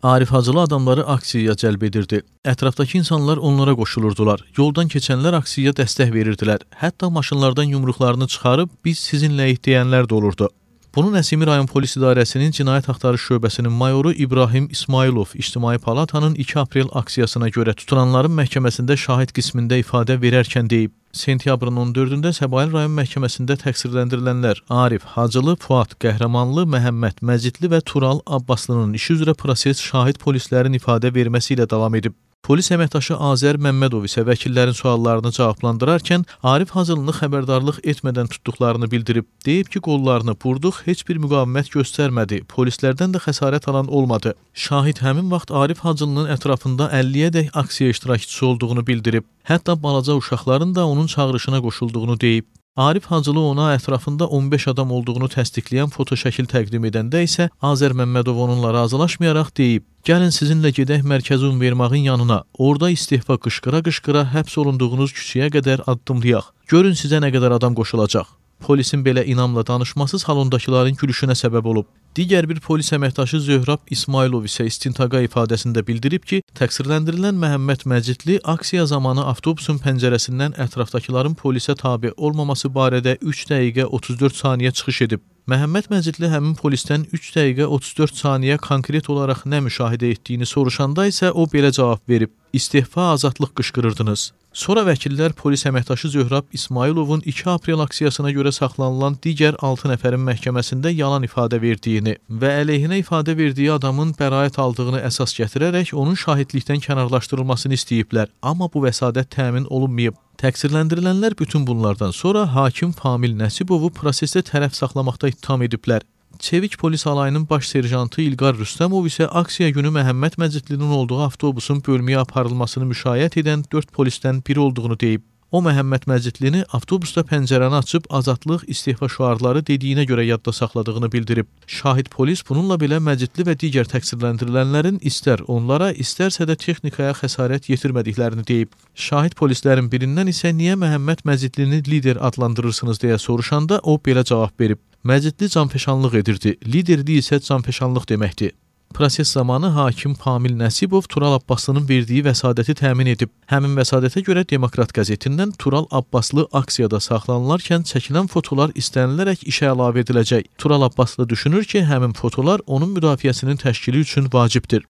Arif Hacılı adamları aksiyaya cəlb edirdi. Ətrafdakı insanlar onlara qoşulurdular. Yoldan keçənlər aksiyaya dəstək verirdilər. Hətta maşınlardan yumruqlarını çıxarıb biz sizinləyik deyənlər də olurdu. Bunu Nəsimi rayon polis idarəsinin cinayət axtarış şöbəsinin mayoru İbrahim İsmailov İctimai Palatanın 2 aprel aksiyasına görə tutulanların məhkəməsində şahid qismində ifadə verərkən deyib. Sentyabrın 14-də Səbail rayon məhkəməsində təqsirləndirilənlər Arif Hacılı, Fuad Qəhrəmanlı, Məhəmməd Məcidli və Tural Abbaslı'nın işi üzrə proses şahid polislərin ifadə verməsi ilə davam edib. Polis əməkdaşı Azər Məmmədov isə vəkillərin suallarını cavablandırarkən Arif Hacılını xəbərdarlıq etmədən tutduqlarını bildirib. Deyib ki, qollarını burduq, heç bir müqavimət göstərmədi, polislərdən də xəsarət alan olmadı. Şahid həmin vaxt Arif Hacılının ətrafında 50-yədək aksiya iştirakçısı olduğunu bildirib. Hətta balaca uşaqların da onun çağırışına qoşulduğunu deyib. Arif Hacılı ona ətrafında 15 adam olduğunu təsdiqləyən fotoşəkil təqdim edəndə isə Azər Məmmədov onunla razılaşmayaraq deyib: "Gəlin sizinlə gedək Mərkəzi Univermağın yanına. Orada istehfa qışqıra-qışqıra həbs olunduğunuz küçəyə qədər addımlayaq. Görün sizə nə qədər adam qoşulacaq." Polisin belə inamla danışması salondakıların gülüşünə səbəb olub. Digər bir polis əməkdaşı Zöhrab İsmailov isə istintaqa ifadəsində bildirib ki, təqsirləndirilən Məhəmməd Məcidli aksiya zamanı avtobusun pəncərəsindən ətrafdakıların polisə tabe olmaması barədə 3 dəqiqə 34 saniyə çıxış edib. Məhəmməd Məcidli həmin polisdən 3 dəqiqə 34 saniyə konkret olaraq nə müşahidə etdiyini soruşanda isə o belə cavab verib: "İstehfa, azadlıq qışqırırdınız." Sonra vəkillər polis əməkdaşı Zöhrab İsmailovun 2 aprel aksiyasına görə saxlanılan digər 6 nəfərin məhkəməsində yalan ifadə verdiyini və əleyhinə ifadə verdiyi adamın bəraət aldığını əsas gətirərək onun şahidlikdən kənarlaşdırılmasını istəyiblər, amma bu vəsadət təmin olunmayıb. Təqsirləndirilənlər bütün bunlardan sonra hakim Famil Nəsibovu prosesdə tərəf saxlamaqda ittiham ediblər. Çevik polis alayının baş serjantı İlqar Rüstəmov isə aksiya günü Məhəmməd Məcidlinin olduğu avtobusun bölməyə aparılmasını müşayiət edən 4 polisdən biri olduğunu deyib. O, Məhəmməd Məcidlini avtobusda pəncərəni açıb azadlıq, istehfa şüarları dediyinə görə yadda saxladığını bildirib. Şahid polis bununla belə Məcidli və digər təqsirləndirilənlərin istər onlara, istərsə də texnikaya xəsarət yetirmədiklərini deyib. Şahid polislərin birindən isə niyə Məhəmməd Məcidlini lider adlandırırsınız deyə soruşanda o belə cavab verib: "Məcidli canfəşanlıq edirdi, liderlik isə canfəşanlıq deməkdir." Proses zamanı hakim Famil Nəsibov Tural Abbaslı'nın verdiyi vəsadəti təmin edib. Həmin vəsadətə görə Demokrat qəzetindən Tural Abbaslı aksiyada saxlanılarkən çəkilən fotolar istənilərək işə əlavə ediləcək. Tural Abbaslı düşünür ki, həmin fotolar onun müdafiəsinin təşkili üçün vacibdir.